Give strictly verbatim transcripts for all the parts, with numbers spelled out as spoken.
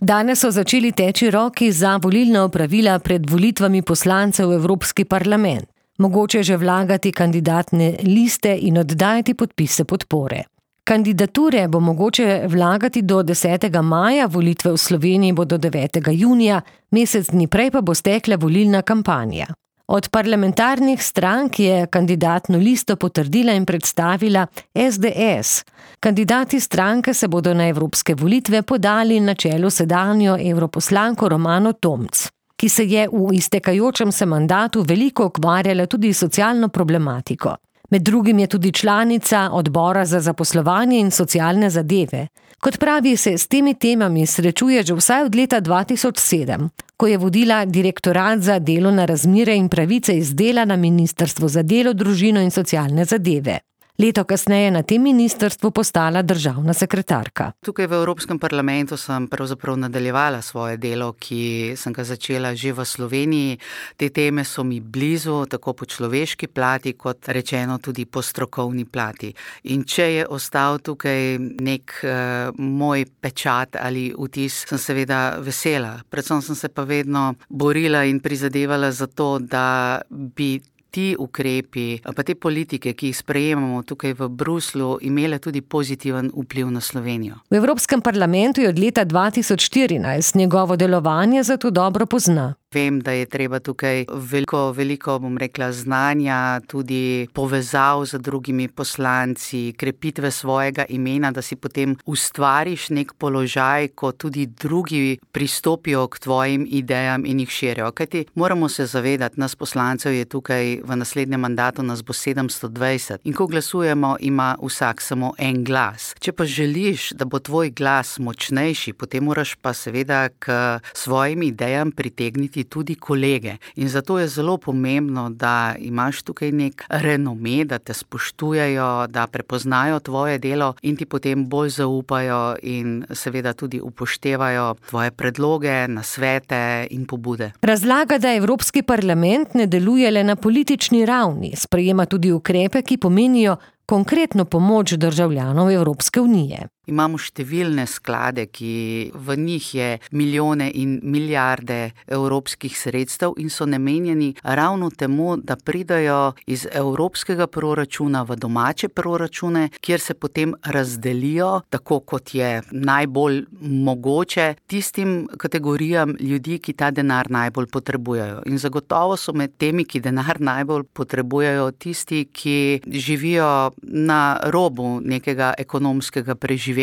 Danes so začeli teči roki za volilna opravila pred volitvami poslancev v Evropski parlament. Mogoče že vlagati kandidatne liste in oddajati podpise podpore. Kandidature bo mogoče vlagati do desetega maja, volitve v Sloveniji bodo devetega junija, mesec dni prej pa bo stekla volilna kampanja. Od parlamentarnih strank je kandidatno listo potrdila in predstavila es de es. Kandidati stranke se bodo na evropske volitve podali na čelu sedanjo evroposlanko Romano Tomc, ki se je v iztekajočem se mandatu veliko ukvarjala tudi s socialno problematiko. Med drugim je tudi članica odbora za zaposlovanje in socialne zadeve. Kot pravi, se s temi temami srečuje že vsaj od leta dva tisoč sedem, ko je vodila Direktorat za delovne razmere in pravice iz dela na Ministrstvu za delo, družino in socialne zadeve. Leto kasneje na tem ministrstvu postala državna sekretarka. Tukaj v Evropskem parlamentu sem pravzaprav nadaljevala svoje delo, ki sem ga začela že v Sloveniji. Te teme so mi blizu, tako po človeški plati, kot rečeno tudi po strokovni plati. In če je ostal tukaj nek uh, moj pečat ali vtis, sem seveda vesela. Predvsem sem se pa vedno borila in prizadevala za to, da bi ti ukrepi, pa te politike, ki jih sprejemamo tukaj v Bruslju, imele tudi pozitiven vpliv na Slovenijo. V Evropskem parlamentu je od leta dva tisoč štirinajst, njegovo delovanje zato dobro pozna. Vem, da je treba tukaj veliko, veliko, bom rekla, znanja, tudi povezav z drugimi poslanci, krepitve svojega imena, da si potem ustvariš nek položaj, ko tudi drugi pristopijo k tvojim idejam in jih širijo. Kajti moramo se zavedati, nas poslancev je tukaj v naslednjem mandatu, nas bo sedemsto dvajset. In ko glasujemo, ima vsak samo en glas. Če pa želiš, da bo tvoj glas močnejši, potem moraš pa seveda k svojim idejam pritegniti tudi kolege. In zato je zelo pomembno, da imaš tukaj nek renome, da te spoštujejo, da prepoznajo tvoje delo in ti potem bolj zaupajo in seveda tudi upoštevajo tvoje predloge, nasvete in pobude. Razlaga, da Evropski parlament ne deluje le na politični ravni, sprejema tudi ukrepe, ki pomenijo konkretno pomoč državljanov Evropske unije. Imamo številne sklade, ki v njih je milijone in milijarde evropskih sredstev in so namenjeni ravno temu, da pridajo iz evropskega proračuna v domače proračune, kjer se potem razdelijo, tako kot je najbolj mogoče, tistim kategorijam ljudi, ki ta denar najbolj potrebujejo. In zagotovo so med temi, ki denar najbolj potrebujejo, tisti, ki živijo na robu nekega ekonomskega preživetja.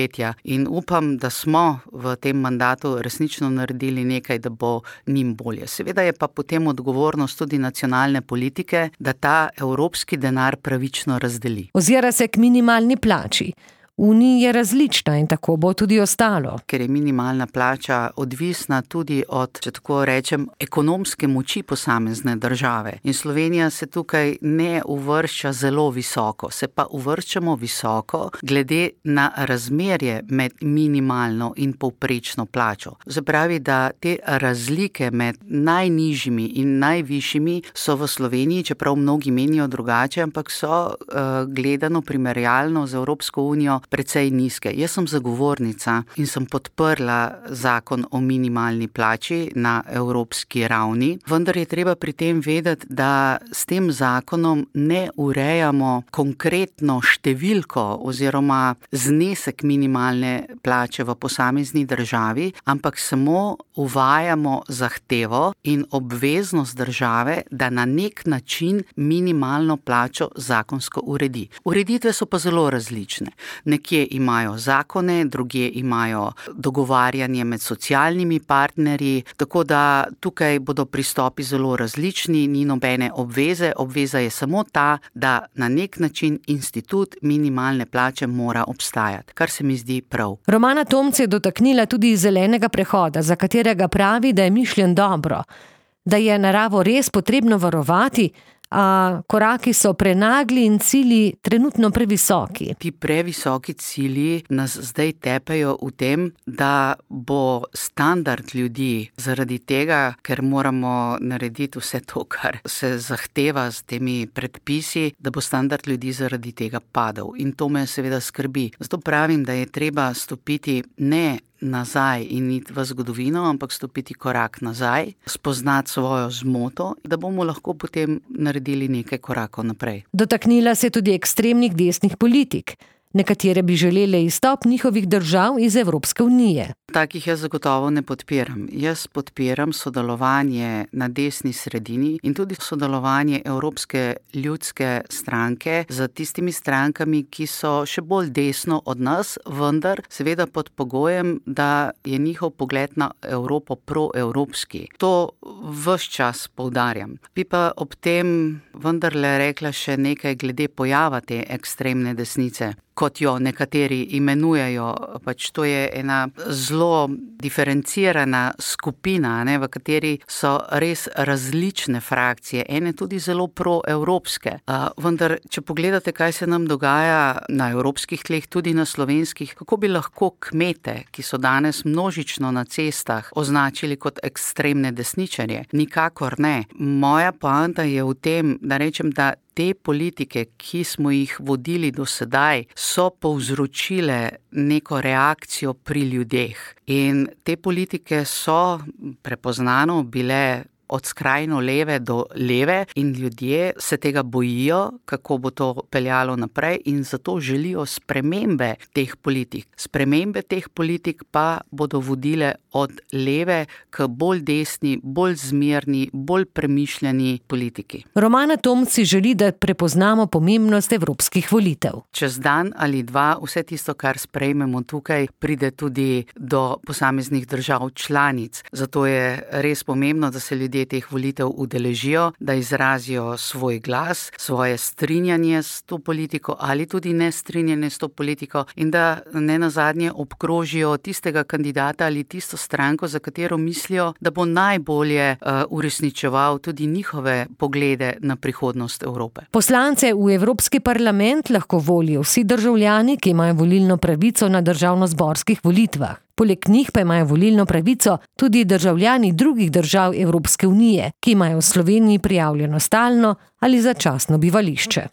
In upam, da smo v tem mandatu resnično naredili nekaj, da bo njim bolje. Seveda je pa potem odgovornost tudi nacionalne politike, da ta evropski denar pravično razdeli. Ozira se k minimalni plači. V Uniji je različna in tako bo tudi ostalo. Ker je minimalna plača odvisna tudi od, če tako rečem, ekonomske moči posamezne države. In Slovenija se tukaj ne uvršča zelo visoko, se pa uvrščamo visoko glede na razmerje med minimalno in povprečno plačo. Zapravi, da te razlike med najnižjimi in najvišjimi so v Sloveniji, čeprav mnogi menijo drugače, ampak so uh, gledano primerjalno z Evropsko unijo precej nizke. Jaz sem zagovornica in sem podprla zakon o minimalni plači na evropski ravni, vendar je treba pri tem vedeti, da s tem zakonom ne urejamo konkretno številko oziroma znesek minimalne plače v posamezni državi, ampak samo uvajamo zahtevo in obveznost države, da na nek način minimalno plačo zakonsko uredi. Ureditve so pa zelo različne. Nekje imajo zakone, drugje imajo dogovarjanje med socialnimi partnerji, tako da tukaj bodo pristopi zelo različni, ni nobene obveze. Obveza je samo ta, da na nek način institut minimalne plače mora obstajati, kar se mi zdi prav. Romana Tomc je dotaknila tudi zelenega prehoda, za katerega pravi, da je mišljen dobro, da je naravo res potrebno varovati, a koraki so prenagli in cilji trenutno previsoki. Ti previsoki cilji nas zdaj tepejo v tem, da bo standard ljudi zaradi tega, ker moramo narediti vse to, kar se zahteva s temi predpisi, da bo standard ljudi zaradi tega padel. In to me seveda skrbi. Zato pravim, da je treba stopiti ne nazaj in iti v zgodovino, ampak stopiti korak nazaj, spoznati svojo zmoto, da bomo lahko potem naredili nekaj korakov naprej. Dotaknila se tudi ekstremnih desnih politik. Nekatere bi želele izstop njihovih držav iz Evropske unije. Takih jaz zagotovo ne podpiram. Jaz podpiram sodelovanje na desni sredini in tudi sodelovanje Evropske ljudske stranke z tistimi strankami, ki so še bolj desno od nas, vendar seveda pod pogojem, da je njihov pogled na Evropo proevropski. To ves čas poudarjam. Bi pa ob tem vendarle rekla še nekaj glede pojava te ekstremne desnice, kot jo nekateri imenujejo. Pač to je ena zelo diferencirana skupina, ne, v kateri so res različne frakcije, ene tudi zelo proevropske. Uh, vendar, če pogledate, kaj se nam dogaja na evropskih tleh, tudi na slovenskih, kako bi lahko kmete, ki so danes množično na cestah, označili kot ekstremne desničarje? Nikakor ne. Moja poanta je v tem, da rečem, da te politike, ki smo jih vodili do sedaj, so povzročile neko reakcijo pri ljudeh. In te politike so prepoznano bile od skrajno leve do leve in ljudje se tega bojijo, kako bo to peljalo naprej in zato želijo spremembe teh politik. Spremembe teh politik pa bodo vodile od leve k bolj desni, bolj zmerni, bolj premišljeni politiki. Romana Tomc si želi, da prepoznamo pomembnost evropskih volitev. Čez dan ali dva vse tisto, kar sprejmemo tukaj, pride tudi do posameznih držav članic. Zato je res pomembno, da se ljudje teh volitev udeležijo, da izrazijo svoj glas, svoje strinjanje s to politiko ali tudi nestrinjanje s to politiko in da ne nazadnje obkrožijo tistega kandidata ali tisto stranko, za katero mislijo, da bo najbolje uh, uresničeval tudi njihove poglede na prihodnost Evrope. Poslance v Evropski parlament lahko volijo vsi državljani, ki imajo volilno pravico na državnozborskih volitvah. Poleg njih pa imajo volilno pravico tudi državljani drugih držav Evropske unije, ki imajo v Sloveniji prijavljeno stalno ali začasno bivališče.